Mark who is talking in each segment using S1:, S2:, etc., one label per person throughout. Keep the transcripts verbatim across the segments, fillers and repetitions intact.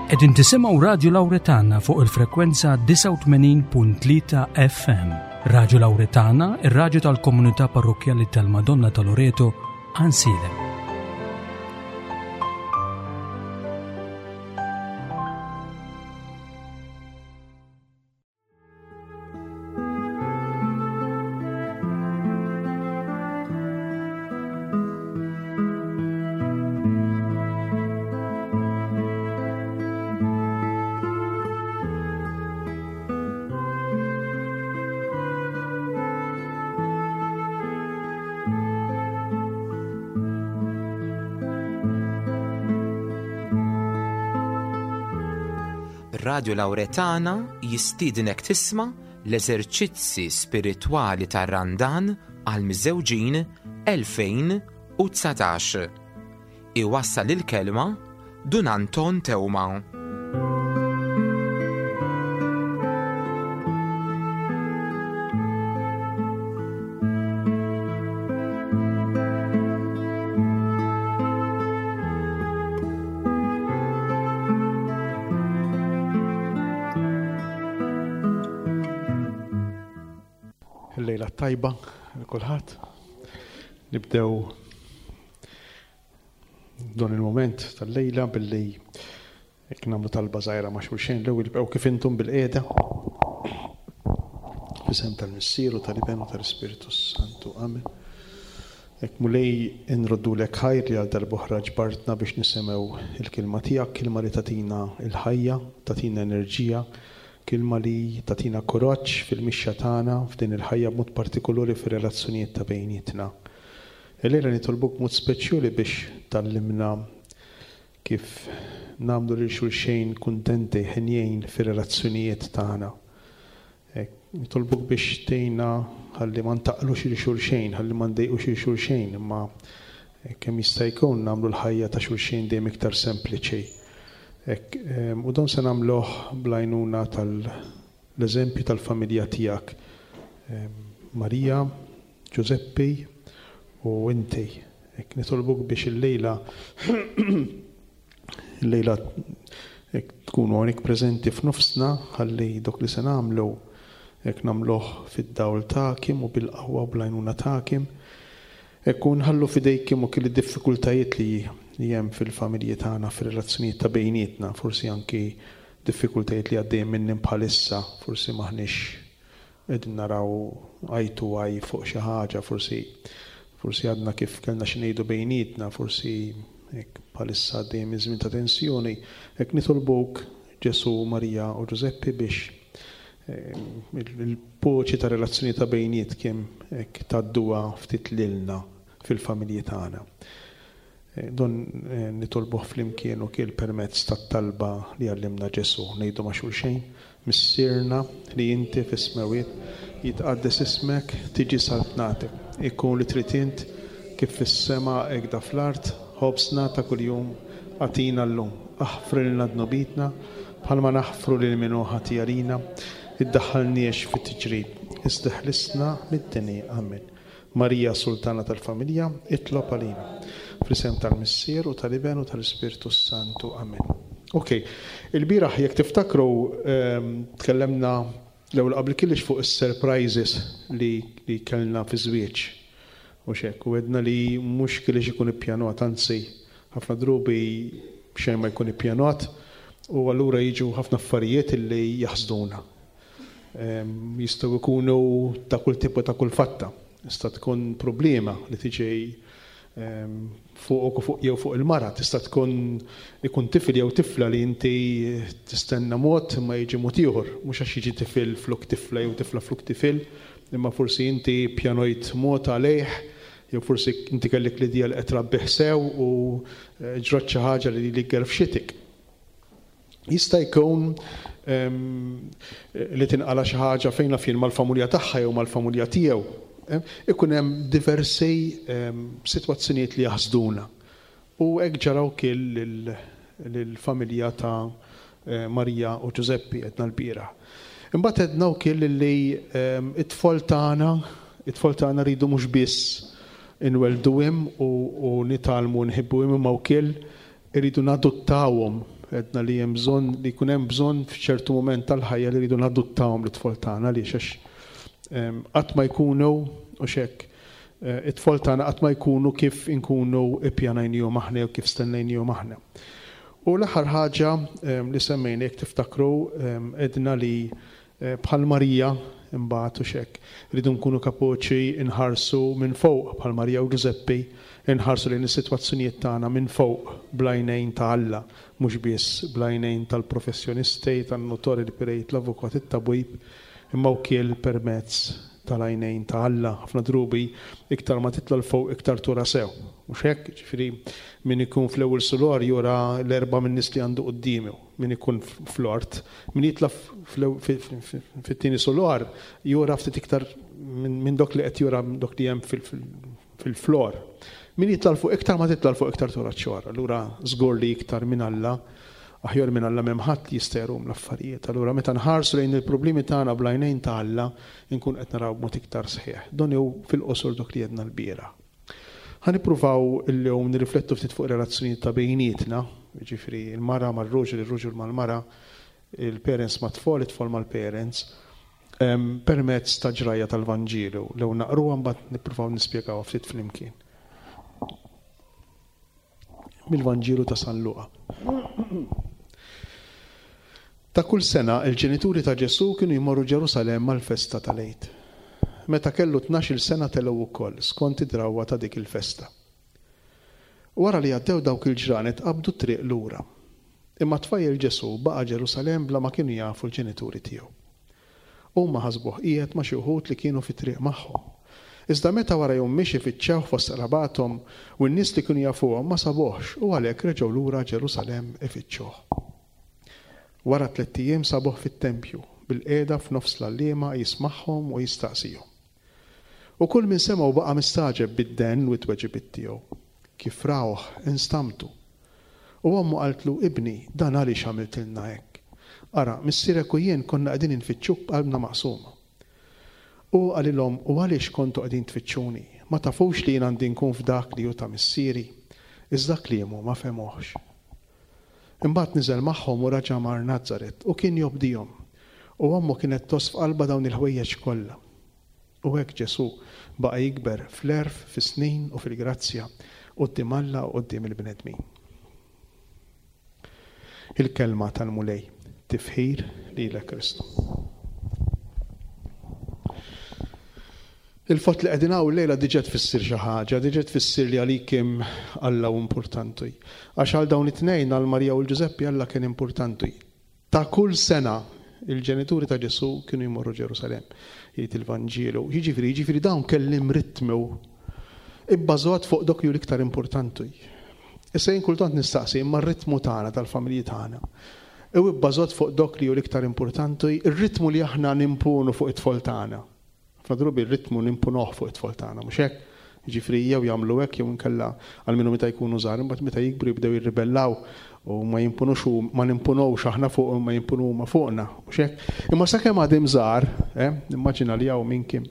S1: Qegħdin tisimgħu Radio Lauretana fuq il-frekwenza disgħa u tmenin punt tlieta F M. Radio Lauretana, ir-radju tal-Komunità Parrokkjali tal-Madonna ta' Loreto, Għajnsielem.
S2: Radio Lauretana jistiednek tisma' l-eżerċizzi spiritwali tar-Randan għal miżewġin elfejn u dsatax. Iwassal il-kelma Dun Anton Teuma.
S3: Lejla tajba kulħadd. Nibdew dan il-moment tal-lejla billi jekk nagħmlu talba żgħira ma' xulxin l-ewwel ibqgħu kif intom bil-qiegħda. F'isem tal-Missier u tal-Iben u tal-Ispirtu Santu. Amen. Hekk Mulej inroddulek ħajr li għal darb'oħra ġbartna biex nisimgħu il-kelma tiegħek, kelma li tagħtina l-ħajja, tagħtina enerġija, kelma li tagħtina kuraġġ fil-mixja tagħna f'din il-ħajja b'mod partikolari fir-relazzjonijiet ta' bejnietna. Illejla nitolbuk b'mod speċjali biex tgħallimna kif nagħmlu lil xulxejn kuntenti ħenjejn fir-relazzjonijiet tagħna. Hekk, nitolbuk biex tgħinna ħalli ma ntaqlux lil xulxejn, ħalli ma ndejqux lil xulxejn, imma kemm jista' jkun nagħmlu l-ħajja ta' xulxejn dejjem iktar sempliċi. Hekk, ehm, u dan se nagħmluh bl-għajnuna tal-eżempju tal-familja tiegħek. Ehm, Marija, Giuseppe u inti. Hekk nitolbuk biex illejla illejla hekk tkunu hawnhekk preżenti f'nofsna ħalli dok li se nagħmlu hekk nagħmluh fid-dawl tagħkom u bil-qawwa u bl-għajnuna tagħkom. Hekk u nħallu f'idejkom ukoll id-diffikultajiet li li hemm fil-familji tagħna, fir-relazzjonijiet ta' bejnietna, forsi anki diffikultajiet li għaddejjin minnhom bħalissa, forsi m'aħniex qegħdin naraw eye to eye fuq xi ħaġa, forsi, forsi għadna kif kellna xi ngħidu bejnietna, forsi hekk bħalissa għaddejjin minn żmien ta' tensjoni. Hekk nitolbuk Ġesu, Marija u Ġużeppi biex, eh, il-poċi ta' relazzjoni ta' bejnietkom hekk tgħadduha ftit lilna fil-familji tagħna. Eh, don, eh, nitolbuh flimkien u kiel permezz tat-talba li għallimna Ġesu. Ngħidu ma' xulxejn: Missierna li inti fis-smewwiet, jitqaddes ismek, tiġi saltnatek, ikun li trid int kif fis-sema hekk da fl-art, ħobżna ta' kuljum agħtina llum. Aħfrilna dnubitna bħalma naħfru lil min hu ħati għalina, iddaħħalniex fit-tiġrib, iżda ħlisna mid-deni. Amen. Marija Sultana tal-Familja, itlob għalina. Fl-isem tal-Missier u tal-Iben u tal-Ispirtu Santu. Amen. Ok, il-bieraħ jekk tiftakru, ehm, tkellemna l-ewwel qabel kellix fuq is-surprises li, li kellna fi żwieġ. U xek, u għedna li mhux kellix ikun ippjanat, anzi ħafna drubi xejn ma jkun ippjanat, u allura jiġu ħafna affarijiet li jaħsduna. Ehm, jistgħu jkunu ta' kull tip u ta' kull fatta. Tista' tkun problema li tiġi, ehm, fuqok u fuq jew fuq il-mara, tista' tkun ikun tifel jew tifla li inti tistenna mod imma jiġi mod ieħor, mhux għax jiġi tifel flok tifla jew tifla flok tifel, imma forsi inti pjanojt mod għalih, jew forsi inti kellek l-idea li qed trabbih sew u, eh, ġrat xi ħaġa li li gerfxitik. Jista' jkun, ehm, li tinqala xi ħaġa fejn naf jien mal-familja tagħha jew mal-familja tiegħu. Eh, ikun hemm diversi, ehm, sitwazzjonijiet li jaħsduna. U hekk ġaraw kien lil-, lill-familja ta', eh, Marija u Ġużeppi għedna l-bieraħ. Imbagħad għedna wkoll li, ehm, it-tfal tagħna, it-tfal tagħna rridu mhux biss inwelduhom u, u nitgħallmu nħibbuhom, imma wkoll irridu nadottawhom. Għedna li hemm bżonn li jkun hemm bżonn f'ċertu mument tal-ħajja li rridu nadottawhom l-tfal tagħna, għaliex għax qatt ma jkunu u xek it-tfal tagħna qatt ma jkunu kif inkunu ippjanajnihom aħna jew kif stennejnihom aħna. U l-aħħar ħaġa li semmejna, jekk tiftakru, għedna li bħal Marija imbagħad u xek rridu nkunu kapaċi nħarsu minn fuq bħal Marija u Ġużeppi, nħarsu lejn is-sitwazzjonijiet tagħna minn fuq bl-għajnejn ta' Alla, mhux biss bl-għajnejn tal-professjonisti, tan-notori, l-pirejt, l-avukat, it-tabib, imma wkoll permezz tal-għajnejn ta' Alla. Ħafna drubi iktar ma titla' 'l fuq iktar tura sew. Mhux hekk, ġifieri min ikun fl-ewwel sulor jura l-erba' minn nies li għandu quddiemu, min ikun fl-ort, min jitla' fit-tieni sulor jura ftit iktar minn dok li qed jura dok li hemm fil-flor. Min jitla' 'l fuq iktar ma titla' 'l fuq iktar tura ċ-ċor. Allura żgur li iktar minn Alla, aħjar minn Alla m'hemm ħadd li jista' jrum l-affarijiet. Allura meta nħarsu lejn il-problemi tagħna bl-għajnejn ta' Alla, inkun qed naraw b'mod iktar sħiħ. Dan hu fil-qosor dok li għedna l-bieraħ. Ħa nippruvaw illum nirriflettu ftit fuq relazzjonijiet ta' bejnietna, jiġifieri il-mara mar-raġel, ir-raġel mal-mara, il-parents mat-tfal, it-tfal mal-parents, permezz ta' ġrajja tal-Vanġelu. Lew naqruha mbagħad nippruvaw nispjegaw ftit flimkien. Mill-Vanġelu ta' San Luqa. Ta' kull sena il-ġenituri ta' Ġesù kienu jmorru Ġerusalemm għall-festa tal-Għid. Meta kellu tnax-il sena telgħu wkoll skont id-drawwa ta' dik il-festa. Wara li għaddew dawk il-ġranet qabdu t-triq lura. Imma tfajjel Ġesù baqa' Ġerusalemm bla ma kienu jafu l-ġenituri tiegħu. Huma ħasbuh qiegħed ma' xi wħud li kienu fit-triq magħhom. Iżda meta wara jum mixi fittxewh fost qrabathom u n-nies li kienu jafuhom ma sabuhx u għalhekk reġgħu lura Ġerusalemm ifittxuh. Wara tlett ijiem sabuh fit-tempju bil-qiegħda f'nofs l-għalliema jismagħhom u jistaqsihom. U kull min semgħu baqa' mistagħġeb bid-den u t-tweġibiet tiegħu. Kif rawh instamtu. U ommu qaltlu, ibni, dan għaliex għamiltilna hekk? Ara, missierek u jien konna qegħdin infittxuk b'qalbna maqsuma. U qalilhom, u għaliex kontu qegħdin tfittxuni? Ma tafux li jien għandi nkun f'dak li hu ta' missieri? Iżda kliemu ma fehmuhx. Imbagħad niżel magħhom u raġa' mar Nazaret u kien jobdihom. U ommu kienet tgħożż f'qalbha dawn il-ħwejjeġ kollha. U hekk Ġesù baqa' jikber fl-għerf, fis-snin u fil-grazzja quddiem Alla u quddiem il-bnedmin. Il-kelma tal-Mulej, tifħir lilek Kristu. Il-fatt li qegħdin hawn lejla diġà tfisser xi ħaġa, diġà tfisser li għalikim Alla hu importanti. Għax għal dawn it-tnejn, għal Marija u l-Ġużeppi, Alla kien importanti. Ta' kull sena il-ġenituri ta' Ġesù kienu jmorru Ġerusalemm, jgħid il-Vanġelu. Jiġifieri, jiġifieri dawn kellim ritmu ibbażat fuq dok li hu l-iktar importanti. Issa jien kultant nistaqsi, imma r-ritmu tagħna tal-familji tagħna hu ibbażat fuq dok li hu l-iktar importanti, ir-ritmu li aħna nimponu fuq it-tfal tagħna. Ħafna drabi r-ritmu nimponuh fuq it-tfal tagħna, mhux hekk? Jiġifieri jew jagħmlu hekk jew inkella għal minnu meta jkunu żgħar, imbagħad meta jikbru jibdew jirribellaw u ma jimponux u ma nimponux aħna fuq ma jimponu huma fuqna, mhux hekk? Imma sakemm għadhom żgħar, eh, nimmaġina li hawn minn kien,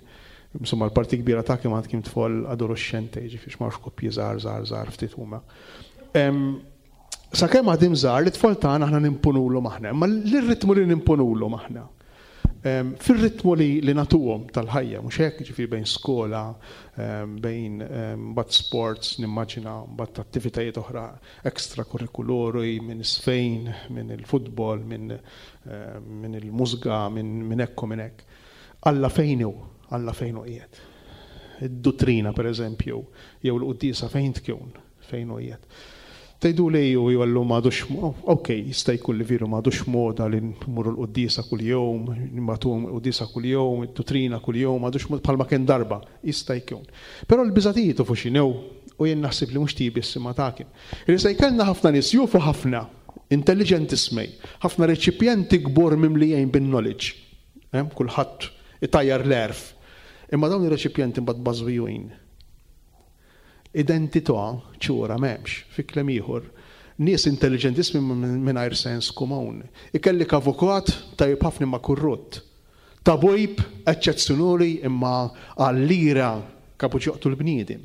S3: insomma l-parti kbira ta' kemm għad kien tfal adolescenti, jiġifieri x'ma koppji żgħar żgħar żgħar ftit huma. Sakemm għadhom żgħar, l-tfal tagħna aħna nimponulhom aħna, imma l-ritmu li nimponulhom aħna. Fir-ritmu li, li natuhom tal-ħajja, mhux hekk, ġifieri bejn skola, bejn mbagħad sports, nimmaġina mbagħad attivitajiet oħra extracurriculari, minn isfejn, minn il-futbol, minn min il-mużga, minn min hekk u minn hekk. Alla fejn hu, Alla fejn hu qiegħed. Id-duttrina pereżempju, jew l-quddiesa fejn tkun, fejn hu qiegħed. Tgħidu li ju jgħallu m'għadux, ok, jista' jkun li veru m'għadux moda li nmorru l-quddiesa kuljum, nibagħtuhom l-quddiesa kuljum, id-duttrina kuljum, m'għadux bħalma kien darba, jista' jkun. Però l-biżatijiet u fuq x'inhu, u jien naħseb li mhux tibi s-sima tagħkom. Li se jkollna ħafna nies jufu ħafna, intelligentissimi, ħafna reċipjenti kbur mimlijin bin-knowledge. Kulħadd itajjar l-għerf. Imma dawn ir-reċipjenti mbagħad bażwijin. Identità ċura m'hemmx, fi kliem ieħor. Nies intelligentissimi mingħajr sens komun. Ikellik avukat tajjeb ħafna imma korrott. Tabib eċċezzjonali imma għall-ira kapaċi joqtlu l-bniedem.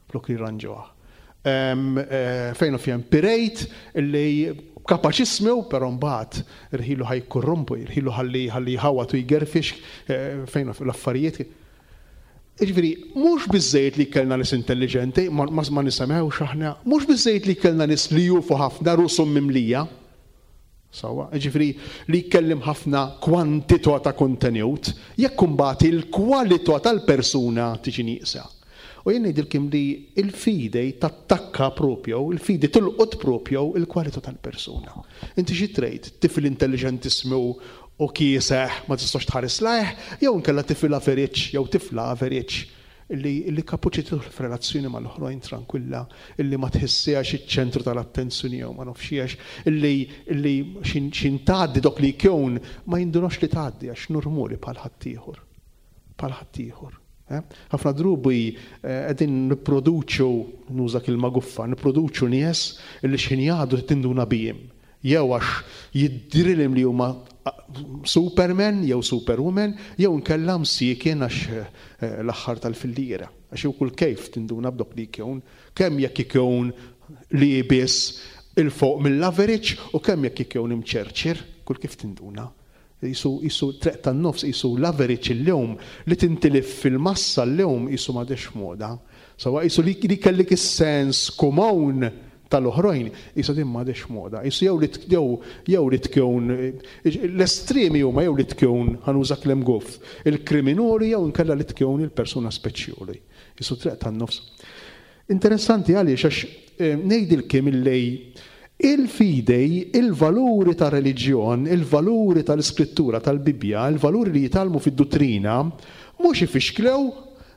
S3: Flok li jirranġuha. Fejn u fjem pirejt li Kapaċissmu, però mbagħad irħilu ħa jikkorrompu, irħilu ħalli ħalli jħawat u jgerfix eh, fejn l-affarijiet. Jiġifieri, mhux biżejjed li kellna nies intelligenti, ma, ma, ma nisemgħux aħna, mhux biżejjed li kellna nies li jufu ħafna rushom mimlija. Sawa, jiġifieri li jkellim ħafna kwantità ta' kontenut, jekk imbagħad il-kwalità tal-persuna tiġi nieqsa. U jien ngħidilkom li il-fidi tattakka propju, il-fidi tilqot propju il-kwalità tal-persuna. Inti xi trid, tifel intelligentissmu u kieseħ ma tistax tħares lejh, jew inkella tifel average, jew tifla average illi, illi kapaċi tidħol f'relazzjoni mal-oħrajn tranquilla, illi ma tħissiex iċ-ċentru tal-attenzjoni jew ma nafxiex, illi, illi xin, xin tgħaddi dok li jkun ma jindunox li tgħaddi għax normali bħal ħaddieħor. Bħal ħaddieħor. Eh? Ħafna drubi qegħdin nipproduċu, nuża kelma guffa, nipproduċu nies illi x'ħin jgħaddu tinduna bihim. Jew għax jidhrilhom li huma Superman jew Superwoman, jew nkella msiekin għax eh, l-aħħar tal-filliera. Għax jew kull kejf tinduna b'dok li jkun, kemm jekk ikun li biss il-fuq mill-average u kemm jekk ikun imċerċir, kull kif tinduna. Jisu, jisu treq tan-nofs, jisu l-average il-lum li tintilif fil-massa l-lum jisu m'għadhiex moda. Sawa jisu li, li kellek is-sens komun tal-oħrajn, jisu din m'għadhiex moda. Jisu jew li jew jew li tkun l-estremi huma jew li tkun ħa nuża kliem goff, il-kriminali jew inkella li tkun il-persuna speċjali. Jisu treq tan-nofs. Interessanti għaliex għax eh, ngħidilkom illi il-fidei, il-valuri ta' reliġjon, il-valuri tal-iskrittura, tal-Bibja, il-valuri li jitgħallmu fid-dottrina, mhux ifixklew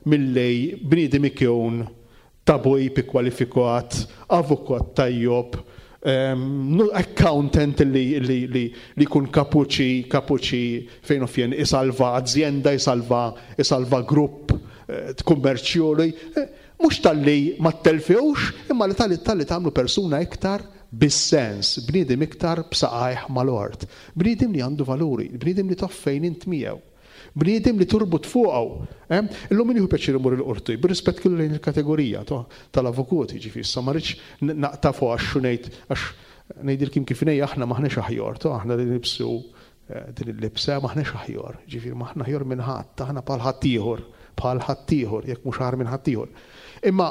S3: milli bniedem ikun tabib ikkwalifikat, avukat tajjob, um, accountant li, li, li, li jkun kapaċi, kapaċi fejn u fjen isalva azienda, isalva, isalva grupp eh, kummerċjoli. Eh, mhux talli ma telfewx, imma li talli talli tagħmlu persuna iktar bis-sens, bniedem iktar b'saqajh mal-art, bniedem li għandu valuri, bniedem li taf fejn int miegħu, bniedem li turbut fuqu. Eh? Illum min jieħu pjaċir imur il-qorti, bir-rispett kellu lejn il-kategorija tal-avukati, ġifieri issa ma rridx naqta' fuq għax ngħid għax ngħidilkom kif ngħid aħna m'aħniex aħjar, to aħna li nibsu eh, din il-libsa m'aħniex aħjar, ġifieri m'aħna aħjar minn ħadd, aħna bħal ħaddieħor, bħal ħaddieħor, jekk mhux aħjar minn ħaddieħor. Imma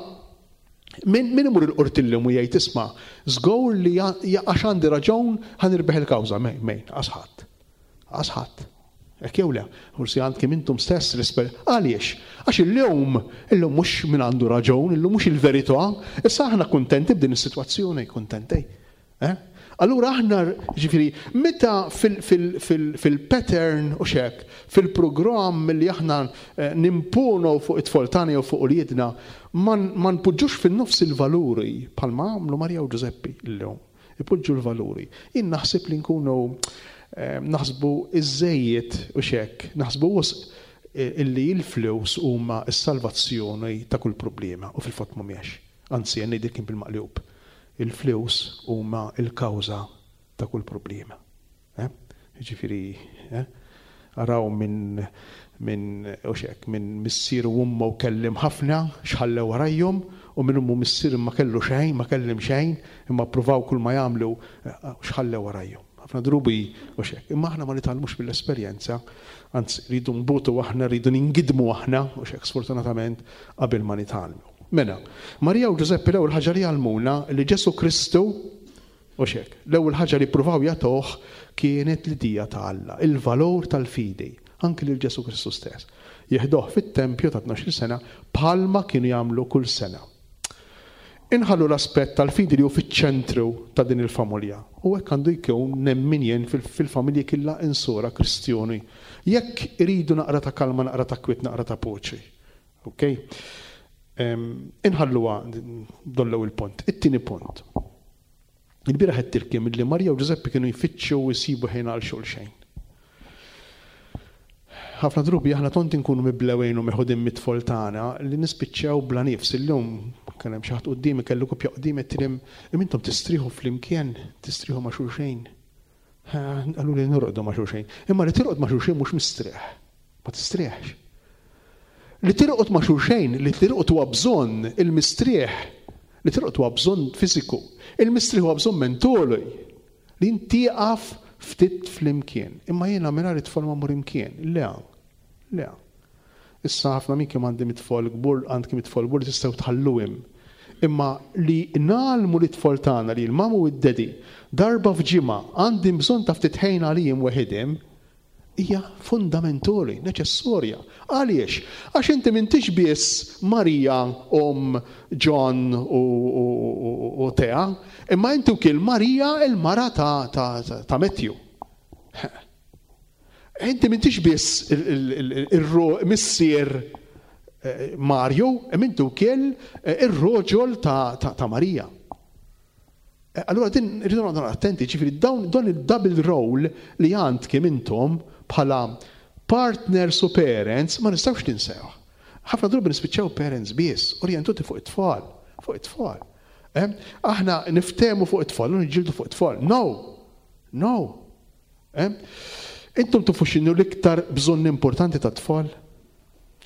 S3: min, min imur il-qorti llum u jgħid isma' żgur li għax għandi raġun ħa nirbeħ il-kawża, mejn, mejn, asħadd. Asħadd. Hekk jew le, forsi għandkom intom stess l-esper. Għaliex? Għax illum, illum mhux min għandu raġun, illum mhux il-verità, issa aħna kuntenti b'din is-sitwazzjoni, kuntenti. Eh? Allura aħna, ġifieri, meta fil-pattern u xek, fil-programm li aħna eh, nimponu fuq it-tfal tagħna jew fuq uliedna, ma npoġġux fin-nofs il-valuri bħalma għamlu Marija u Ġużeppi llum. Ipoġġu l-valuri. Jien naħseb li nkunu eh, naħsbu iż-żejjed u xek, naħsbu wisq eh, illi l-flus huma s-salvazzjoni ta' kull problema u fil-fatt mhumiex. Anzi, jien ngħidilkom bil-maqlub. Il-flus huma l-kawża ta' kull problema. Eh? Ġifieri, eh? Araw minn min, u xek, minn missier u ummu kellim ħafna, xħallew warajhom, u minn ummu missier ma kellu xejn, ma kellim xejn, imma ppruvaw kull ma jagħmlu, eh, xħallew warajhom. Ħafna drubi u xek. Imma aħna ma nitgħallmux mill-esperjenza, anzi rridu nbutu aħna, rridu ningidmu aħna, u xek sfortunatament qabel ma nitgħallmu. Mela, Marija u Ġużeppi l-ewwel ħaġa li għallmuna li Ġesu Kristu u xek, l-ewwel ħaġa li ppruvaw jagħtuh kienet l-idea ta' Alla, il-valur tal-fidi, anki lil Ġesu Kristu stess. Jeħduh fit-tempju ta' tnax-il sena bħalma kienu jagħmlu kull sena. Inħallu l-aspett tal-fidi li hu fiċ-ċentru ta' din il-familja. U hekk għandu jkun nemmin jien fil-familji kollha insura Kristjoni. Jekk iridu naqra ta' kalma, naqra ta' kwiet, naqra ta' poċi. Ok? Inħalluha dollew il-punt. It-tieni punt. Il-bieraħ għedtilkom li Marija u Ġużeppi kienu jfittxu u jsibu ħin għal xulxejn. Ħafna drubi aħna tont inkunu miblewejn u meħudin mit-tfal tagħna li nispiċċaw bla nifs. Illum kien hemm xi ħadd quddiemi, kellu koppja quddiemi qed imma intom tistrieħu flimkien, tistrieħu ma' xulxejn. Qalu li norqdu ma' xulxejn. Imma li tirqod ma' xulxejn mhux mistrieħ. Ma tistrieħx. Li tirqod ma' xulxejn, li tirqod huwa bżonn il-mistrieħ, li tirqod huwa bżonn fiżiku, il-mistrieħ huwa bżonn mentoli. Li ntieqaf ftit flimkien. Imma jiena mingħajr it-tfal ma mmur imkien. Le, le. Issa ħafna minn kemm għandi mit-tfal kbur, għandkom it-tfal kbur li tistgħu tħalluhom. Imma li ngħallmu lit-tfal tagħna li l-mama u d-daddy darba f'ġimgħa għandi bżonn ta' ftit ħin għalihom weħidhom hija fundamentali, neċessorja. Għaliex? Għax inti m'intix biss Marija, om John u, u, u, u Tea, imma inti wkoll Marija il-mara ta', ta, ta, ta' Matthew. Inti m'intix biss il-missier Mario, imma inti wkoll ir-roġol ta', ta, ta' Marija. Allura din irridu noqogħdu attenti, ġifieri dawn dan il-double role li għandkom intom bħala partners u parents ma nistgħux ninsew. Ħafna drabi nispiċċaw parents biss, orjentati fuq it-tfal, fuq it-tfal. Eh? Aħna niftehmu fuq it-tfal, u niġġieldu fuq it-tfal. No, no. Eh? Intom tafu x'inhu l-iktar bżonn importanti ta' tfal?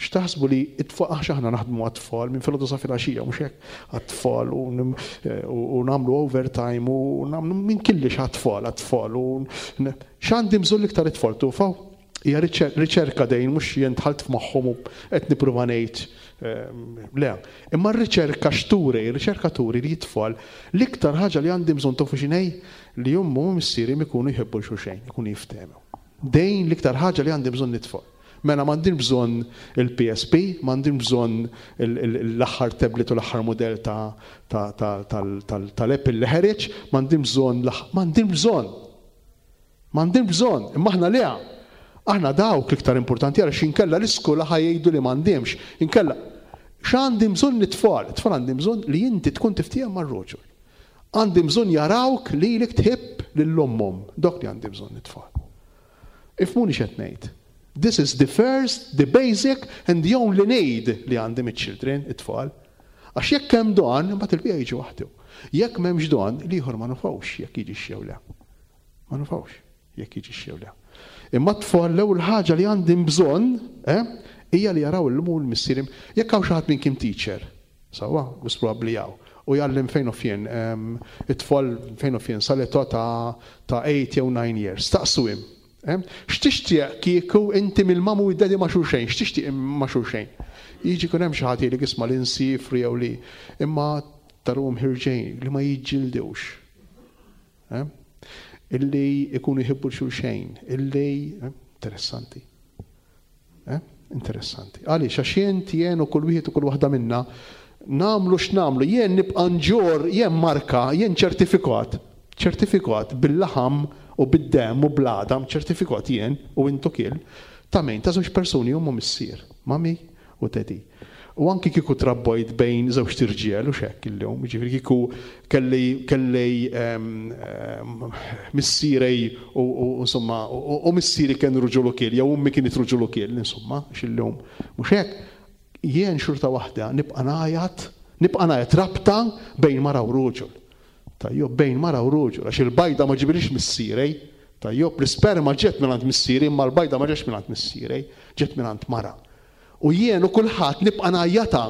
S3: X'taħsbu li it-tfal, għax aħna naħdmu għat-tfal minn filgħodu sa filgħaxija, mhux hekk, għat-tfal u u nagħmlu overtime u nagħmlu minn kullix għat-tfal, għat-tfal u x'għandi bżonn l-iktar it-tfal tafu? Hija riċerka dejn mhux jien dħalt f'moħħhom u qed nipprova ngħid le. Imma r-riċerka x'turi, r-riċerka turi li t-tfal l-iktar ħaġa li għandi bżonn tafu x'inhi li ommi u missieri ikunu jħobbu xulxin, ikunu jiftehmu. Dejn l-iktar ħaġa li għandi bżonn it-tfal. Mela m'għandix bżonn il-P S P, m'għandix bżonn l-aħħar tablet u l-aħħar modell tal-Apple li ħareġ, m'għandix bżonn, m'għandix bżonn. M'għandix bżonn, imma aħna le. Aħna dawk l-iktar importanti għax inkella l-iskola ħa jgħidu li m'għandhomx. Inkella x'għandi bżonn it-tfal? It-tfal għandi bżonn li inti tkun tiftiehem mar-roġol. Għandi bżonn jarawk li lek tħobb lil ommhom. Dok li għandi bżonn it-tfal. Ifhmuni x'qed ngħid. This is the first, the basic and the only need li għandi mit-children, it-tfal. Għax jekk hemm don, imbagħad il-bqija jiġi waħdu. Jekk m'hemmx don, l-ieħor ma nafux jekk jiġi jew le. Ma nafux jekk jiġi jew le. Imma t-tfal l-ewwel ħaġa li għandi bżonn, eh, hija li jaraw l-omm u l-missier. Jekk hawn xi ħadd minn kim teacher, sewwa, mhux probabbli hawn, u jgħallem fejn u fien, it-tfal fejn u fien sal-età ta' ta' eight jew nine years, staqsuhom. X'tixtieq kieku inti mill-mama u d-daddy ma' xulxejn, x'tixtieq ma' xulxejn? Jiġi kun hemm xi ħadd li jisma' li nsifru jew li imma tarahom ħerġin li ma jiġġildewx. Illi ikunu jħibbu xulxejn, illi interessanti. Interessanti. Għaliex għax jien jien u kull wieħed u kull waħda minna nagħmlu x'nagħmlu, jien nibqa' nġorr, jien marka, jien ċertifikat, ċertifikat bil-laħam u bid-dem u bl-għadam, ċertifikat jien u intu kiel, ta' min ta' żewġ persuni omm u missier, mami u daddy. U anki kieku trabbojt bejn żewġ tirġiel u xek illum, ġifieri kieku kelli kelli missieri u insomma u missieri kien ruġul ukoll, jew ummi kienet ruġul ukoll, insomma, x'illum. Mhux hekk, jien xorta waħda nibqa' ngħajat, nibqa' ngħajat rabta bejn mara u ruġul. Tajjob, bejn mara u ruġul, għax il-bajda ma ġibilix missieri, tajjob, l-isperma ġiet minn missieri, imma l-bajda ma ġietx minn missieri, ġiet minn mara. U jien u kulħadd nibqa' ngħajjata,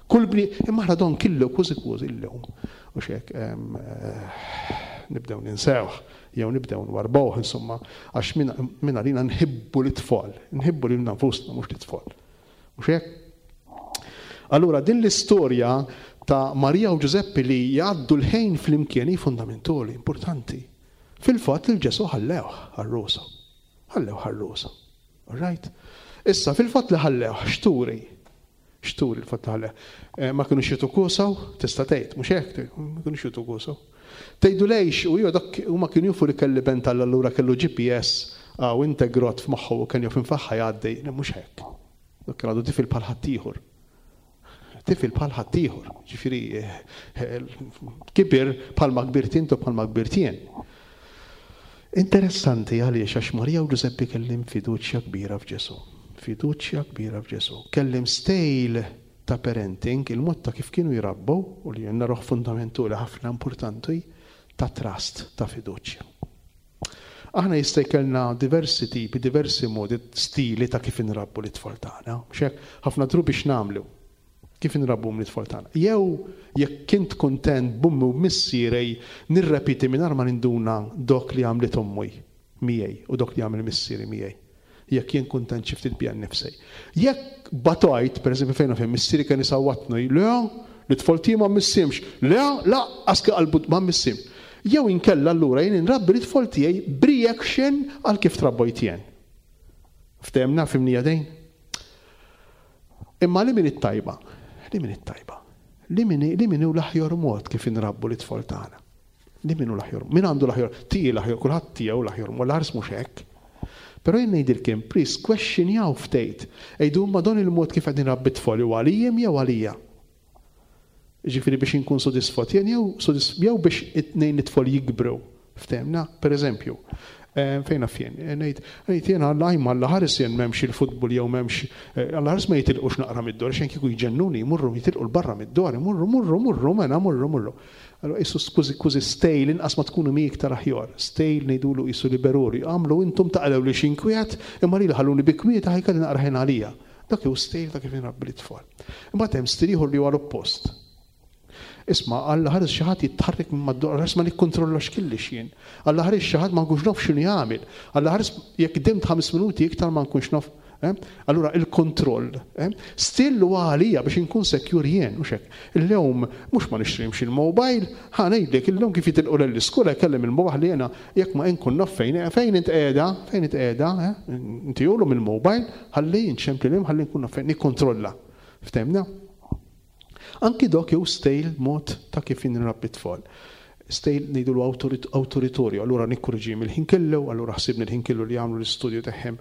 S3: kull bni, imma aħna don killu kważi kważi illum. U xek, nibdew ninsewh, jew nibdew nwarbuh, insomma, għax minn għalina nħibbu l-tfal, nħibbu lil nfusna mhux l-tfal. Mhux hekk? Allura din l-istorja ta' Marija u Ġużeppi li jgħaddu l-ħin flimkien hi fundamentali, importanti. Fil-fatt il-Ġesu ħallewh għar-rosa. Ħallewh għar-rosa. All right? Issa, fil-fatt li ħallewh, x'turi? X'turi il-fatt li ħallewh? Eh, ma kienu jitu kusaw, tista' tgħid, mhux hekk, ma kienu jitu kusaw. Tgħidu lejx, u jew dak huma kienu jafu li kelli ben tal allura kellu G P S u integrat f'moħħu u kien jaf infaħħa jgħaddi, mhux hekk. Dak kien għadu tifel bħal ħaddieħor. Tifel bħal ħaddieħor, ġifieri kibir bħalma kbirt intu bħalma kbirt jien. Interessanti għaliex għax Marija u Ġużeppi kellhom fiduċja kbira f'Ġesu. Fiduċja kbira f'Ġesu. Kellhom style ta' parenting, il-mod ta' kif kienu jirabbu, u li jenna roħ fundamentali ħafna importanti, ta' trust, ta' fiduċja. Aħna jista' jkollna diversi tipi, diversi modi, stili ta' kif inrabbu l-tfal tagħna. Mhux hekk, ħafna drabi x'nagħmlu. Kif inrabbhom l-tfal tagħna? Jew jekk kint kuntent b'ommi u missieri nirrepiti mingħajr ma ninduna dok li għamlet ommi miegħi u dok li għamel missieri miegħi. Jekk jien kuntent xi ftit bija nnifsi. Jekk batajt, pereżempju fejn fejn missieri kien isawwatni, le, l-tfal tiegħi ma missimx, le, lanqas qalbu ma missim. Jew inkella allura jien inrabbi l-tfal tiegħi b'reaction għal kif trabbojt jien. Ftehemna fhimnieha din? Imma li min it-tajba? Li min it-tajba? Li min li min hu l-aħjar mod kif inrabbu l-tfal tagħna? Li min hu l-aħjar? Min għandu l-aħjar? Tiegħi l-aħjar, kulħadd tiegħu l-aħjar, ma l-ħars mhux hekk. Però jien ngħidilkom, please, questionjaw ftit. Għidu ma don il-mod kif qegħdin rabbi t-tfal u għalijjem jew għalija. Ġifieri biex inkun sodisfatt jien jew jew biex it-tnejn it-tfal jikbru. Ftehemna, per eżempju, fejn naf jien, ngħid ngħid jien Alla ajma Alla ħares jien m'hemmx il-futbol jew m'hemmx Alla ħares ma jitilqux naqra mid-dor, xejn kieku jġennuni jmurru jitilqu 'l barra mid-dor, imurru murru murru mela murru murru. Allura qisu skużi kważi stejl inqas ma tkunu mi iktar aħjar. Stejl ngħidulu qisu liberuri. Għamlu intom taqlew li xinkwiet, imma lili ħalluni bi kwieta ħajkelli naqra ħin għalija. Dak hu stejl ta' kif inrabbi l-tfal. Imbagħad hemm stil ieħor li huwa l-oppost. Isma', Alla ħares xi ħadd jitħarrek minn mad-dor, Alla ħares ma nikkontrollax kellix jien. Alla ħares xi ħadd ma nkunx naf x'inhu jagħmel. Alla ħares jekk dimt ħames minuti iktar ma nkunx naf. Eh? Allura il-kontroll. Eh? Still huwa għalija biex inkun secure jien, mhux hekk. Illum mhux ma nixtrimx il-mobile, ħa ngħidlek illum kif jitilqu l-iskola jkellem il-mobile li jiena jekk ma nkun naf fejn, fejn int qiegħda, fejn int qiegħda, eh? Inti jolhom il-mobile, ħalli nċempli lilhom ħalli nkun naf fejn nikkontrolla. Ftehmna? Anki dok jew stejl mod ta' kif nrabbi tfal. Stejl ngħidulu awtoritorju, allura nikkurġi mill-ħin kellu, allura ħsibni l-ħin kellu li jagħmlu l-istudju tagħhom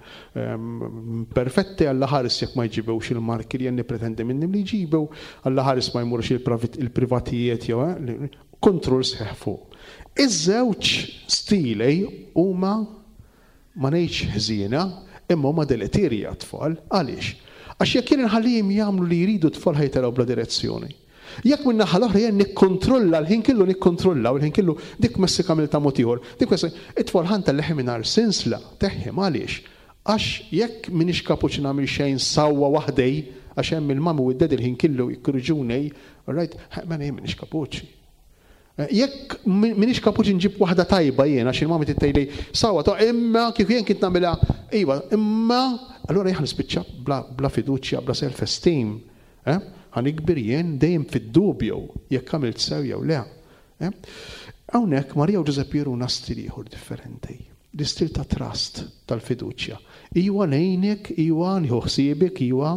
S3: perfetti, Alla ħares jekk ma jġibewx il-marki li jien nippretendi minnhom li jġibu, Alla ħares ma jmurx il-privatijiet jew kontroll sħiħ fuq. Iż-żewġ stili huma ma ngħidx ħżiena, imma huma deleterji għat-tfal. Għaliex? Għax jekk jien inħallihom jagħmlu li jridu t-tfal ħajtelgħu bla direzzjoni. Jekk minn naħa l-oħra jien nikkontrolla l-ħin kellu nikkontrolla u l-ħin kellu dik messi għamilta mod ieħor, dik messi it-tfal ħa ntellagħhom mingħajr sinsla, teħħim għaliex? Għax jekk m'iniex kapaċi nagħmel xejn sewwa waħdej, għax hemm il-mami u d-daddy l-ħin kellu jikkurġuni, all right, ma jien m'iniex kapaċi. Jekk m'iniex kapaċi nġib waħda tajba jien, għax il-mami tgħidli sewwa ta' imma kif jien kint nagħmilha, iva, imma allura jien nispiċċa bla, bla fiduċja, bla self-esteem. Eh? Ħa nikber jien dejjem fid-dubju jekk għamilt sew jew le. Eh? Hawnhekk Marija u Ġużeppi juruna stil ieħor differenti. L-istil ta' trust, tal-fiduċja. Iwa ngħinek, iwa nieħu ħsiebek, iwa,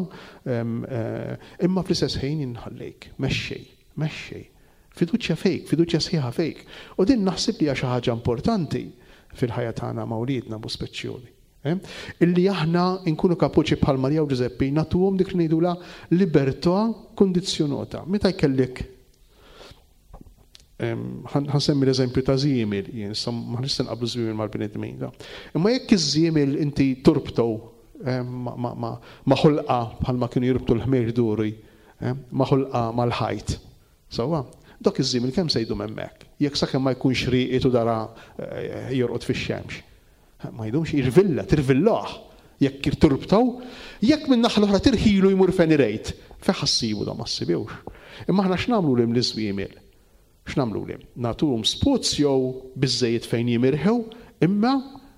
S3: imma fl-istess ħin inħallejk, mexxej, mexxej. Fiduċja fejk, fiduċja sħiħa fejk. U din naħseb li hija xi ħaġa importanti fil-ħajja tagħna ma' wliedna bu speċjali. Eh? Illi aħna nkunu kapaċi bħal Marija u Ġużeppi nagħtuhom dik li ngħidulha libertà kondizzjonata. Meta jkellek ħa nsemmi l-eżempju ta' żiemel, jien issa ma nista' nqablu żwiemel mal-bnedmin. Imma jekk iż-żiemel inti turbtu ma' ħulqa bħalma kienu jirbtu l-ħmir duri, ma' ħulqa mal-ħajt. Sewwa, dak iż-żiemel kemm se jdum hemmhekk? Jekk sakemm ma jkunx rieqed u dara jorqod fix-xemx. Ma jdumx jirvilla, tirvillah. Jekk turbtaw, jekk minn naħa l-oħra tirħilu jmur fejn irejt, fejn ħassibu da ma ssibewx. Imma aħna x'nagħmlu lil l-iżwiemel? X'nagħmlu lil? Nagħtuhom spazju biżejjed fejn jimirħu, imma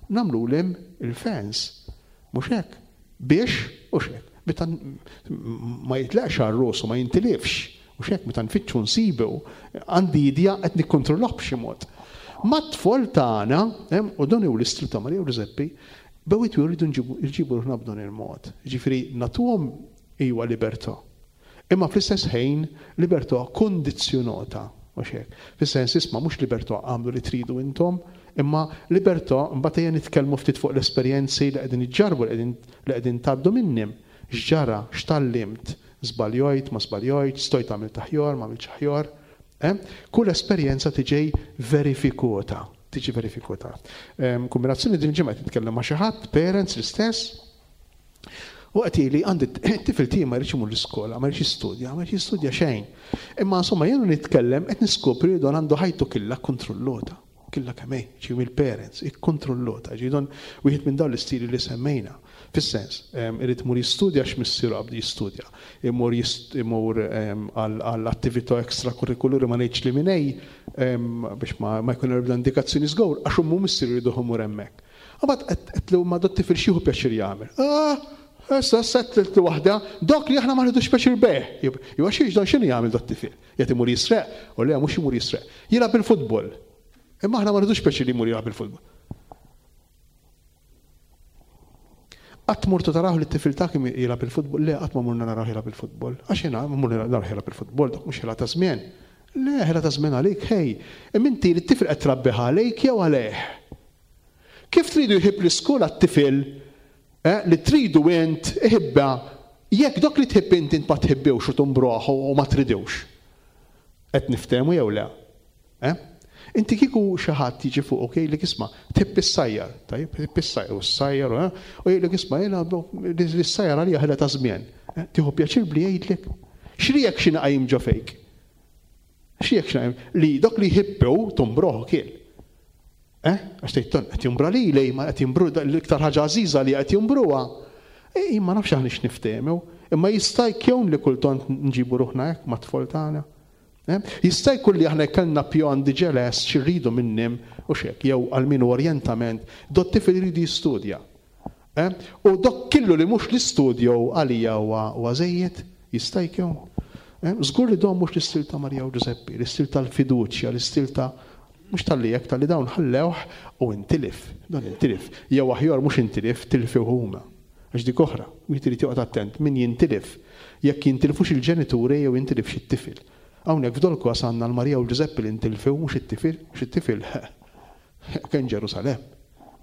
S3: nagħmlu lil il-fence. Mhux hekk. Biex, mhux hekk. Meta ma jitlaqx għar-rosu, ma jintilifx. Mhux hekk, meta nfittxu nsibu, għandi idea qed nikkontrollah b'xi mod. Mat-tfal tagħna, u dan hu l-istil ta' Marija u Ġużeppi, bewit jridu nġibu ruħna b'dan il-mod. Ġifieri nagħtuhom iwa libertà. Imma fl-istess ħin libertà kondizzjonata, mhux hekk. Fis-sens isma' mhux libertà għamlu li tridu intom, imma libertà mbagħad ejja nitkellmu ftit fuq l-esperjenzi li qegħdin iġġarbu, li qegħdin tgħaddu minnhom. X'ġara, x'tallimt, żbaljojt, ma żbaljojt, stojt għamilt aħjar, ma għamiltx aħjar. Eh? Kull esperjenza tiġi verifikata, tiġi verifikata. Kombinazzjoni din ġimgħa qed nitkellem ma' xi ħadd, parents l-istess, u qed jgħidli għandi t-tifel tiegħi ma jridx imur l-iskola, ma jridx jistudja, ma jridx jistudja xejn. Imma insomma jien nitkellem qed niskopri li don għandu ħajtu killa kontrollota, killa kemm hi, ġi mill-parents, ikkontrollota, ġi don wieħed minn dawn l-istili li semmejna. Fis-sens, irid imur jistudja għax missieru qabdu jistudja. Imur imur għall attività ekstrakurrikulari ma ngħidx li minn biex ma jkun hemm indikazzjoni żgur għax ommu missieru jridu imur hemmhekk. Imbagħad qedtlu ma dat-tifel x'jieħu pjaċir jagħmel. Ah, issa settltu waħda, dok li aħna ma rridux pjaċir bih. Jew għax dan x'inhu jagħmel dat-tifel? Qed imur jisreq, u le mhux imur jisreq. Jilgħab il-futbol. Imma aħna ma rridux pjaċir li jmur jilgħab il-futbol. Qatt mortu taraw li t-tifel tagħek jilgħab il-futbol? Le, qatt ma morna naraw jilgħab il-futbol. Għax jiena morna naraw jilgħab il-futbol, dak mhux ħela ta' żmien. Le, ħela ta' żmien għalik, ħej. Imma inti li t-tifel qed trabbih għalejk jew għalih? Kif tridu jħib l-iskola t-tifel li tridu int iħibba jekk dok li tħib int int ma tħibbewx u tumbruh u ma tridewx? Qed niftehmu jew le? Eh? Inti kieku xi ħadd jiġi fuqok jgħidlek isma' tħibb is-sajjar, tajjeb, tħibb is-sajjar u s-sajjar, u jgħidlek isma' jiena l-sajjar għalija ħela ta' żmien. Tieħu pjaċir bli jgħidlek. X'reaction qajjim ġo fejk? X'reaction qajjim? Li dok li jħibbew tumbruh kiel. Eh? Għax tgħid qed jumbra lili, ma qed jimbru l-iktar ħaġa għażiża li qed jumbruha. Ej, ma nafx aħna x'niftehmu, imma jista' jkun li kultant nġibu ruħna hekk mat-tfal tagħna. Jista' jkun li aħna kellna pjan diġà lest x'irridu minnim u x'hekk, jew għal min orjentament, dot tifel iridu jistudja. U dok killu li mhux l-istudju għalija huwa żejjed, jista' jkun. Żgur li dawn mhux l-istil ta' Marija u Ġużeppi, l-istil tal-fiduċja, l-istil ta' mhux tal-li hekk tal-li dawn ħallewh u intilif, dan intilif. Jew aħjar mhux intilif, tilfu huma. Għax dik oħra, wieħed irid joqgħod attent min jintilif, jekk jintilfux il-ġenituri jew jintilifx it-tifel. Hawnhekk f'dol-każ għandna l-Marija u l-Ġużeppi li ntilfew mhux it-tifel, mhux it-tifel kien Ġerusalemm.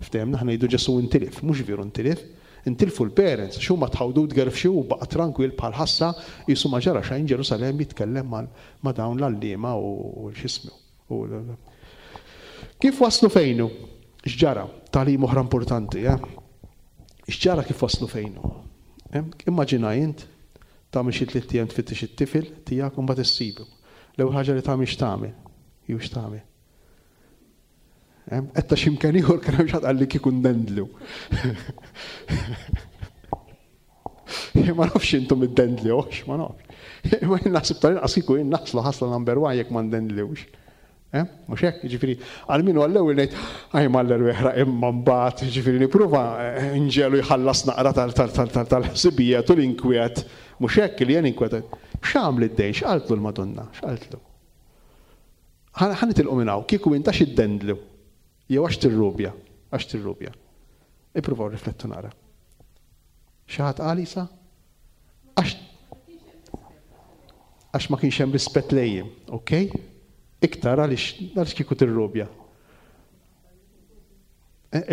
S3: Ftehemna aħna ngħidu Ġesù intilif, mhux veru intilif, intilfu l-parents, x'huma tħawdu tgerfxu u baqa' tranquil bħal ħassa qisu ma ġara xejn Ġerusalemm jitkellem ma' dawn l-għalliema u x'ismu. Kif waslu fejnu? X'ġara? Tagħlim oħra importanti, eh? X'ġara kif waslu fejnu? Immaġina int tagħmel xi tliet ijiem tfittex it-tifel tiegħek u mbagħad issibu. L-ewwel ħaġa li tagħmel x'tagħmel? Jew x'tagħmel? Qed ta' x'imkien ieħor kien hemm xi ħadd qalli kieku ndendlu. Ma nafx intom iddendlewx, ma nafx. Imma jien naħseb tal-inqas kieku jien naħslu ħasla number one jekk ma ndendlewx. Mhux hekk, jiġifieri għal min għall-ewwel ngħid aj mal-erwieħra imma mbagħad, jiġifieri nipprova nġelu jħallas naqra tal-ħsibijiet u l-inkwiet, mhux hekk li jien inkwetat. X'għamel id-dejn, x'qaltlu l-Madonna, x'qaltlu? Ħa nitilqu minn hawn, kieku int għax iddendlu jew għax tirrubja, għax tirrubja. Ippruvaw riflettu naqra. Xi ħadd qal isa? Għax għax ma kienx hemm rispett lejjem, okej? Iktar għaliex għaliex kieku tirrubja.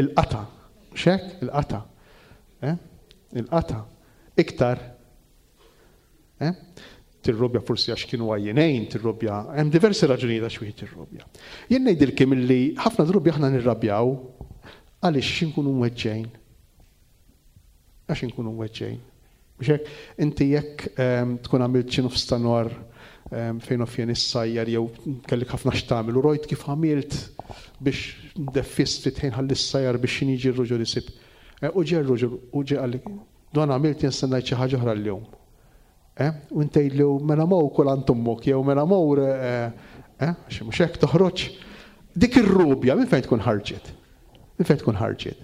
S3: Il-qata, x'hekk? Il-qata. Il-qata. Iktar. Tirrubja forsi għax kienu għajjenejn, tirrubja. Hemm diversi raġunijiet għax wieħed tirrubja. Jien ngħidilkom illi ħafna drabi aħna nirrabjaw għaliex inkunu mweġġejn. Għax inkunu mweġġejn. Mhux hekk, inti jekk tkun għamilt xi nofs ta' nhar fejn offjen is-sajjar jew kellek ħafna x'tagħmel u rojt kif għamilt biex ndeffist ftit ħin ħalli s-sajjar biex xi jiġi r-ruġel isib. U ġie r-ruġel u ġie qalli dan għamilt jien se ngħid xi ħaġa oħra llum. U inti tgħidlu mela mor kul għand ommok jew mela mor għax mhux hekk toħroġ. Dik ir-rubja minn fejn tkun ħarġet? Minn fejn tkun ħarġet?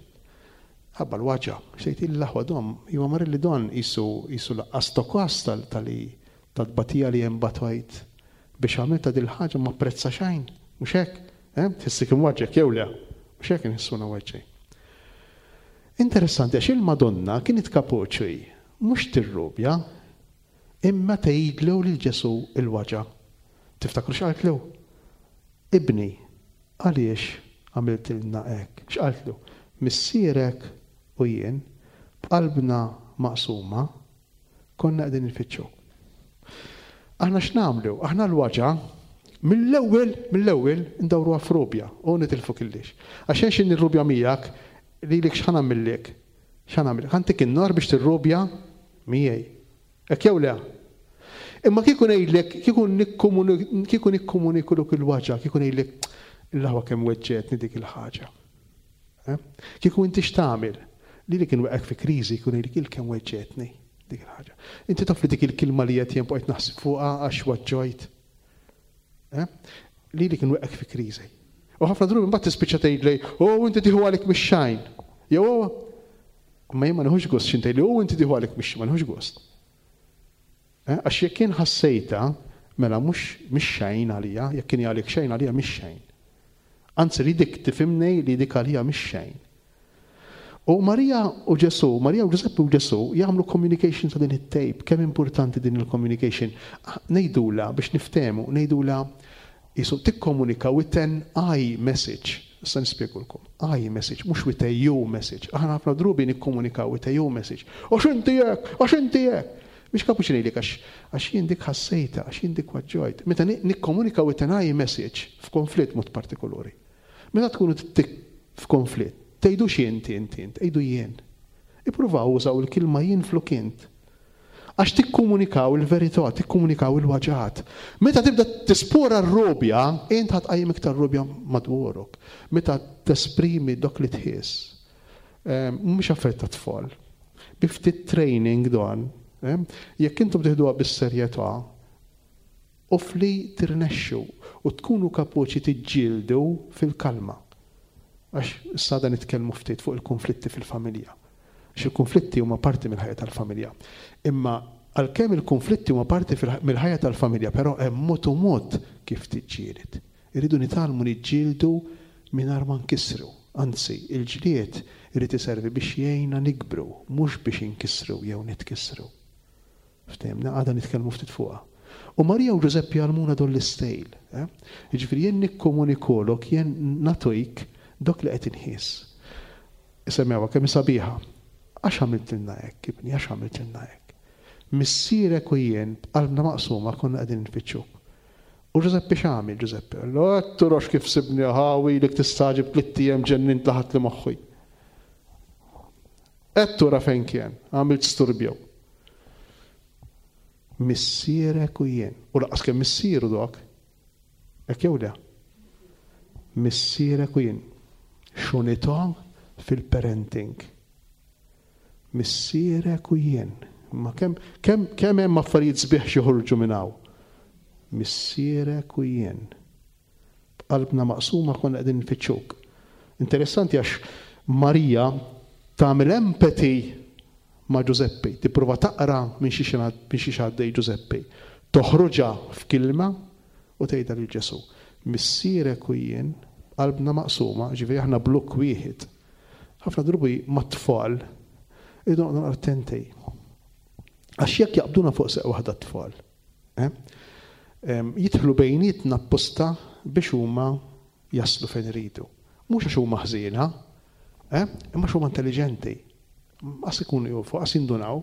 S3: Ħabba l-waġa, xejt il-laħwa dom, jew mar li don isu isu laqqas tokas tal-li tal-batija li hemm batwajt biex għamilta dil-ħaġa ma apprezza xejn, mhux hekk? Tħissik imwaġġek jew le, mhux hekk inħissuna weġġej. Interessanti għax il-Madonna kienet kapoċi, mhux tirrubja, imma tgħidlu lil Ġesù il-waġa. Tiftakru x'qaltlu? Ibni, għaliex għamiltilna hekk? X'qaltlu? Missierek u jien b'qalbna maqsuma konna qegħdin nfittxu. Aħna x'nagħmlu? Aħna l-waġa mill-ewwel mill-ewwel ndawruha f'rubja u nitilfu killix. Għax hekk x'inhi r-rubja miegħek lilek x'ħa nagħmillek? X'ħa nagħmillek? Ħantik in-nar biex tirrubja miegħi. Hekk jew le? Imma kieku ngħidlek, kieku kieku nikkomunikuluk il-waġa, kieku ngħidlek l-aħwa kemm weġġetni dik il-ħaġa. Kieku inti x'tagħmel? Li li kien weqgħek fi kriżi jkun jgħidlek il-kemm weġġetni dik il-ħaġa. Inti taf li dik il-kelma li qed jien bqajt naħseb fuqha għax waġġojt. Eh? Li li kien weqgħek fi kriżi. U ħafna drabi mbagħad tispiċċa tgħidli, "Oh, inti tieħu għalik mix-xejn." Jew ma jien ma nieħux gost x'int tgħidli, "Oh, inti tieħu għalik mix ma nieħux gost." Eh? Għax jekk jien ħassejta, mela mhux mhix xejn għalija, jekk kien għalik xejn għalija mhix xejn. Anzi li dik tifhimni li dik għalija mhix xejn. U Marija u Ġesu, Marija u Ġużeppi u Ġesu jagħmlu communication ta' din it-tape. Kemm importanti din il-communication? Ngħidula biex niftehmu, ngħidula jisu tikkomunika with an I message. Issa nispjegulkom. I message, mhux with a you message. Aħna ħafna drabi nikkomunikaw with a you message. Għax inti hekk, għax inti hekk. Biex kapuċi ngħidlek għax għax jien dik ħassejta, għax jien dik waġġojt. Meta nikkomunika with an I message f'konflitt mod partikolari. Meta tkunu f'konflitt, tgħidux inti inti int, tgħidu jien. Ippruvaw użaw il-kelma jien flok int. Għax tikkomunikaw il-verità, tikkomunikaw il-waġat. Meta tibda tispora r-robja, int ħa tqajjem iktar robja madwarok. Meta tesprimi dok li tħiss. Mhux affarijiet ta' tfal. Bi ftit training dan, jekk intom tieħduha bis-serjetà, u fli tirnexxu u tkunu kapaċi tiġġieldu fil-kalma. Għax issa dan nitkellmu ftit fuq il-konflitti fil-familja. Għax il-konflitti huma parti mill-ħajja tal-familja. Imma għalkemm il-konflitti huma parti mill-ħajja tal-familja, però hemm mod u mod kif tiġġieled. Irridu nitgħallmu niġġieldu mingħajr ma nkissru. Anzi, il-ġlied irid iservi biex jgħinna nikbru, mhux biex inkissru jew nitkissru. Ftehimna, għada nitkellmu ftit fuqha. U Marija u Ġużeppi għallmuna dol l-istejl. Eh? Jiġifieri jien nikkomunikolok, jien nagħtik dok li qed inħiss. Isemmewha kemm sabiħa. Għax għamiltilna hekk, ibni, għax għamiltilna hekk. Missierek u jien b'qalbna maqsuma konna qegħdin nfittxuk. U Ġużeppi x'għamel Ġużeppi? Allu turox kif sibni ħawi li tistagħġeb tlitt ijiem ġennint laħat li moħħi. Qed tura fejn kien, għamilt sturbjew. Missierek u jien. U laqas kemm missieru dok. Hekk jew le? Missierek u jien. Xunità fil-parenting. Missierek u jien. Ma kemm kemm kemm hemm affarijiet sbieħ xi minn hawn. Missierek u jien. B'qalbna maqsuma konna qegħdin nfittxuk. Interessanti għax Marija tagħmel empathy ma' Ġużeppi, tipprova taqra minn xi għaddej Ġużeppi. Toħroġha f'kilma u tgħidha lil Ġesu. Missierek u jien, qalbna maqsuma, ġifieri aħna blokk wieħed. Ħafna drabi mat-tfal irridu noqogħdu attenti. Għax jekk jaqbduna fuq seq waħda t-tfal, eh? jidħlu bejnietna apposta biex huma jaslu fejn iridu. Mhux għax huma ħżiena, eh? imma għax huma intelligenti. Għas ikunu jufu, għas jindunaw.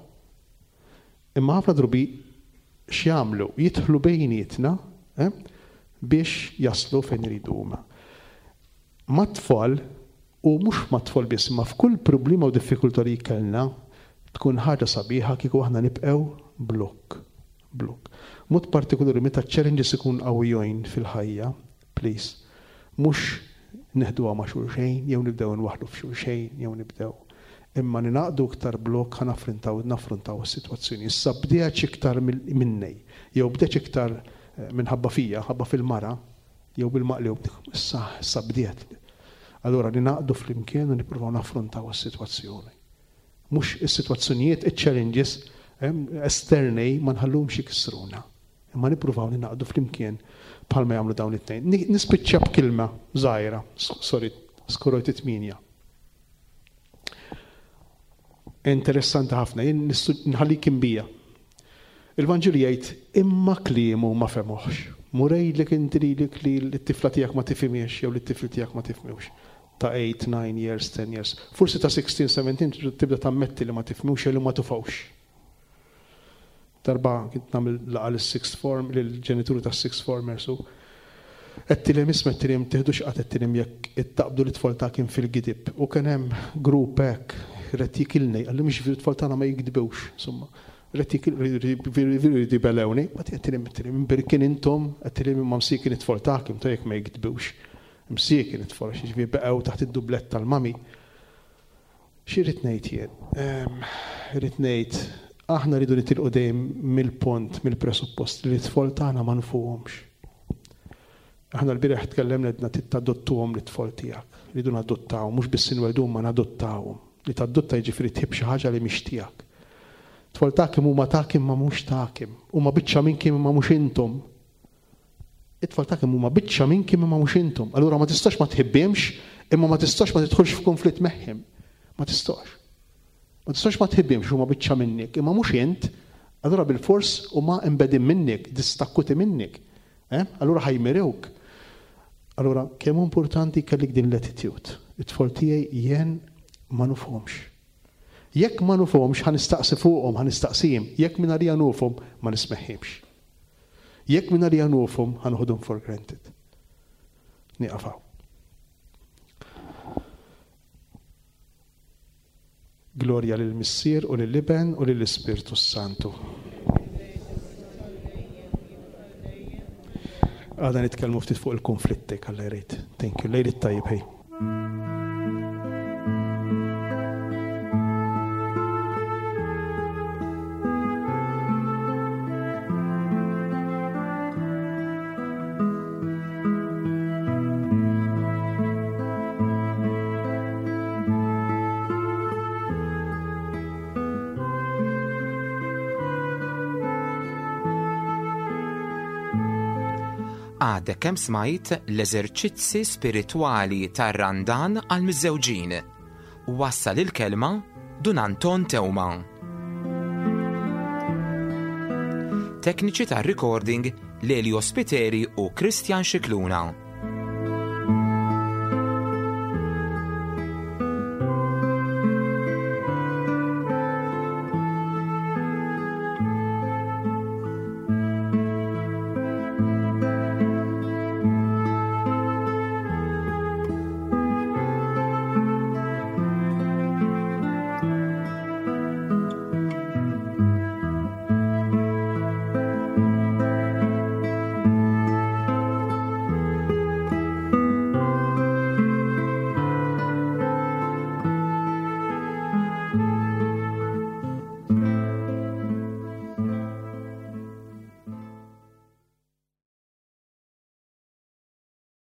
S3: Imma ħafna drabi x'jagħmlu? Jidħlu bejnietna eh? biex jaslu fejn iridu huma. Mat-tfal, u mhux mat-tfal biss, ma f'kull problema u diffikultà li kellna, tkun ħaġa sabiħa kieku aħna nibqgħu blokk. Blokk. Mod partikolari meta challenges ikun qawwijin fil-ħajja, please, mhux neħduha ma' xulxejn, jew nibdew nwaħħlu f'xulxejn, jew nibdew. Imma ninaqdu iktar blokk ħa naffrontaw naffrontaw is-sitwazzjoni. Issa bdejx iktar minnej, jew bdejx iktar minħabba fija, ħabba fil-mara, jew bil-maqlub, issa issa bdiet. Allura ninaqdu flimkien u nippruvaw naffrontaw is-sitwazzjoni. Mhux is-sitwazzjonijiet, iċ-challenges esterni ma nħallhomx jikissruna. Imma nippruvaw ninaqdu flimkien bħalma jagħmlu dawn it-tnejn. Nispiċċa b'kilma żgħira, sorry, skorojt it-tminja. Interessanti ħafna, jien nħallik imbija. Il-Vanġelu jgħid imma kliemu ma fehmuhx. Murejlek inti lilek li t-tifla tiegħek ma tifhimiex jew li t-tifel tiegħek ma tifhmux. Ta' eight, nine years, ten years. Forsi ta' sixteen, seventeen tibda tammetti li ma tifhmux jew li ma tufawx. Darba kont nagħmel laqgħa lis-sixth form, lill-ġenituri tas-sixth formers u għedtilhom isma' għedtilhom tieħdux qatt għedtilhom jekk ittaqbdu l-itfal tagħkom fil-gidib. U kien hemm grupp hekk rid jikilni, qalli mhux l-itfal tagħna ma jikdibux, insomma. Rid jikilni belewni, ma għedtilhom għedtilhom imbirkin intom, għedtilhom imma msiekin it-tfal tagħkom ta' jekk ma jikdibux. Msiekin it-tfal, għax jiġifieri beqgħu taħt id-dublett tal-mami. X'irrid ngħid jien? Irrid ngħid aħna rridu nitilqu dejjem mill-pont, mill-presuppost li t-tfal tagħna ma nfuhomx. Aħna l-bieraħ tkellemna għedna tadottuhom lit-tfal tiegħek. Rridu nadottawhom, mhux biss inweldhom ma nadottawhom. Li tadotta jiġifieri tħib xi ħaġa li mhix tiegħek. Tfal tagħkom huma tagħkom ma mhux tagħkom. Huma biċċa minnkom imma mhux intom. It-tfal tagħkom huma biċċa minnkom imma mhux intom. Allura ma tistax ma tħibbihomx, imma ma tistax ma tidħolx f'konflitt magħhom. Ma tistax. Ma tistax ma tħibbihomx huma biċċa minnek, imma mhux int, allura bil-fors huma imbegħdin minnek, distakkuti minnek. Eh? Allura ħa jmerewk. Allura kemm importanti kellek din l-attitude. It-tfal tiegħi jien ma nufhomx. Jekk ma nufhomx ħa nistaqsi fuqhom, ħa nistaqsihom. Jekk minn għalija nufhom ma nismagħhomx. Jekk minn għalija nufhom ħa noħodhom for granted. Nieqaf hawn. Glorja lill-Missier u lill-Iben u lill-Ispirtu Santu. Għada nitkellmu ftit fuq il-konflitti, Alla jrid. Thank you. Lejl it-tajjeb, hej.
S2: Għadek kemm smajt l-eżerċizzi spiritwali tar-Randan għal miżżewġin. Wassal il-kelma Dun Anton Teuma. Tekniċi tar-recording Lelio Spiteri u Christian Scicluna.